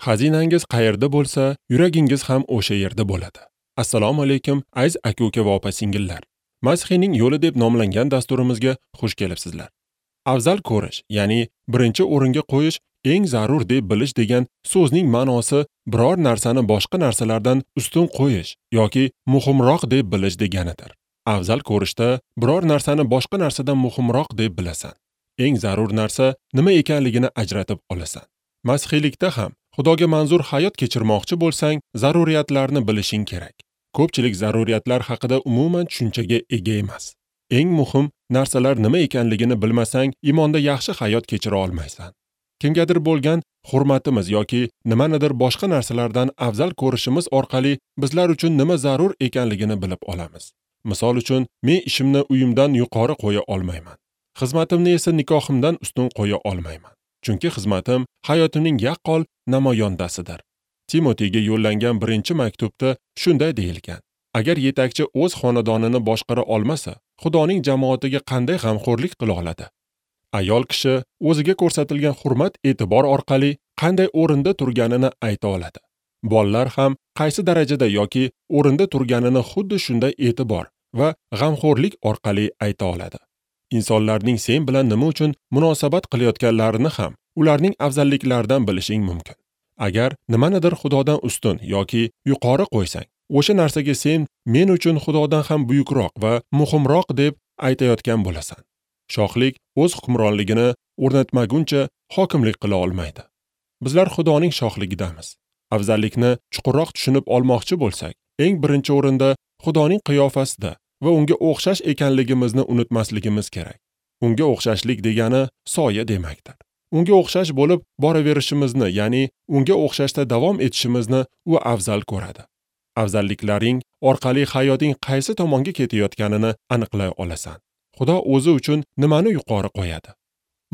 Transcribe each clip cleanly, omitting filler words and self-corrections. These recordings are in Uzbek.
Xazinangiz qayerda bo'lsa, yuragingiz ham o'sha yerda bo'ladi. Assalomu alaykum, aziz aka-uka va opa-singillar. Masihiyning yo'li deb nomlangan dasturimizga xush kelibsizlar. Afzal ko'rish, ya'ni birinchi o'ringa qo'yish eng zarur deb bilish degan so'zning ma'nosi biror narsani boshqa narsalardan ustun qo'yish yoki muhimroq deb bilish deganidir. Afzal ko'rishda biror narsani boshqa narsadan muhimroq deb bilasan. Eng zarur narsa nima ekanligini ajratib olasan. Masihiylikda ham Xudoga manzur hayot kechirmoqchi bo'lsang, zaruriyatlarni bilishing kerak. Ko'pchilik zaruriyatlar haqida umuman tushunchaga ega emas. Eng muhim narsalar nima ekanligini bilmasang, iymonda yaxshi hayot kechira olmaysan. Kimgadir bo'lgan hurmatimiz yoki nimanidir boshqa narsalardan afzal ko'rishimiz orqali bizlar uchun nima zarur ekanligini bilib olamiz. Misol uchun, men ishimni uyimdan yuqori qo'ya olmayman. Xizmatimni esa nikohimdan ustun qo'ya olmayman. Chunki xizmatim hayotimning yaqqol namoyondasidir. Timotiyga yo'llangan birinchi maktubda shunday deyilgan: agar yetakchi o'z xonadonini boshqara olmasa, Xudoning jamoatiga qanday g'amxo'rlik qila oladi? Ayol kishi o'ziga ko'rsatilgan hurmat e'tibor orqali qanday o'rinda turganini ayta oladi. Bolalar ham qaysi darajada yoki o'rinda turganini xuddi shunday e'tibor va g'amxo'rlik orqali ayta oladi. Insonlarning sen bilan nima uchun munosabat qilayotganlarini ham ularning afzalliklaridan bilishing mumkin. Agar nimanidir Xudodan ustun yoki yuqori qo'ysang, o'sha narsaga sen men uchun Xudodan ham buyukroq va muhimroq deb aytayotgan bo'lasan. Shohlik o'z hukmronligini o'rnatmaguncha hokimlik qila olmaydi. Bizlar Xudoning shohligidamiz. Afzallikni chuqurroq tushunib olmoqchi bo'lsak, eng birinchi o'rinda Xudoning qiyofasida va unga o'xshash ekanligimizni unutmasligimiz kerak. Unga o'xshashlik degani soya demakdir. Unga o'xshash bo'lib boraverishimizni, ya'ni unga o'xshashda davom etishimizni u afzal ko'radi. Afzalliklaring orqali hayoting qaysi tomonga ketayotganini aniqlay olasan. Xudo o'zi uchun nimani yuqori qo'yadi?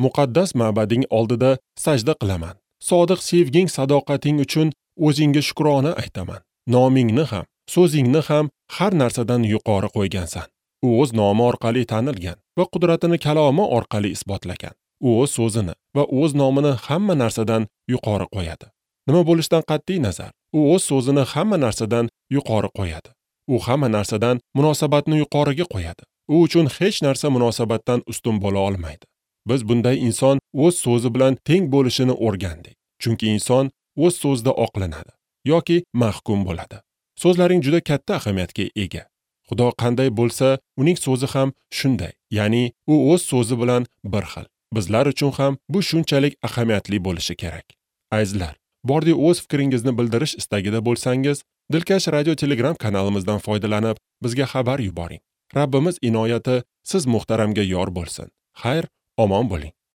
Muqaddas ma'bading oldida sajda qilaman. Sodiq sevging, sadoqating uchun o'zingga shukrona aytaman. Nomingni ham, so'zingni ham har narsadan yuqori qo'ygansan. U o'z nomi orqali tanilgan va qudratini kalomi orqali isbotlagan. U o'z so'zini va o'z nomini hamma narsadan yuqori qo'yadi. Nima bo'lishidan qat'iy nazar, u o'z so'zini hamma narsadan yuqori qo'yadi. U hamma narsadan munosabatni yuqoriga qo'yadi. U uchun hech narsa munosabatdan ustun bo'la olmaydi. Biz bunday inson o'z so'zi bilan teng bo'lishini o'rgandik. Chunki inson o'z so'zida oqlanadi yoki mahkum bo'ladi. So'zlaring juda katta ahamiyatga ega. Xudo qanday bo'lsa, uning so'zi ham shunday, ya'ni u o'z so'zi bilan bir xil. Bizlar uchun ham bu shunchalik ahamiyatli bo'lishi kerak. Azizlar, bordi o'z fikringizni bildirish istagida bo'lsangiz, Dilkash Radio Telegram kanalimizdan foydalanib, bizga xabar yuboring. Rabbimiz inoyati siz muhtaramga yor bo'lsin. Xayr, omon bo'ling.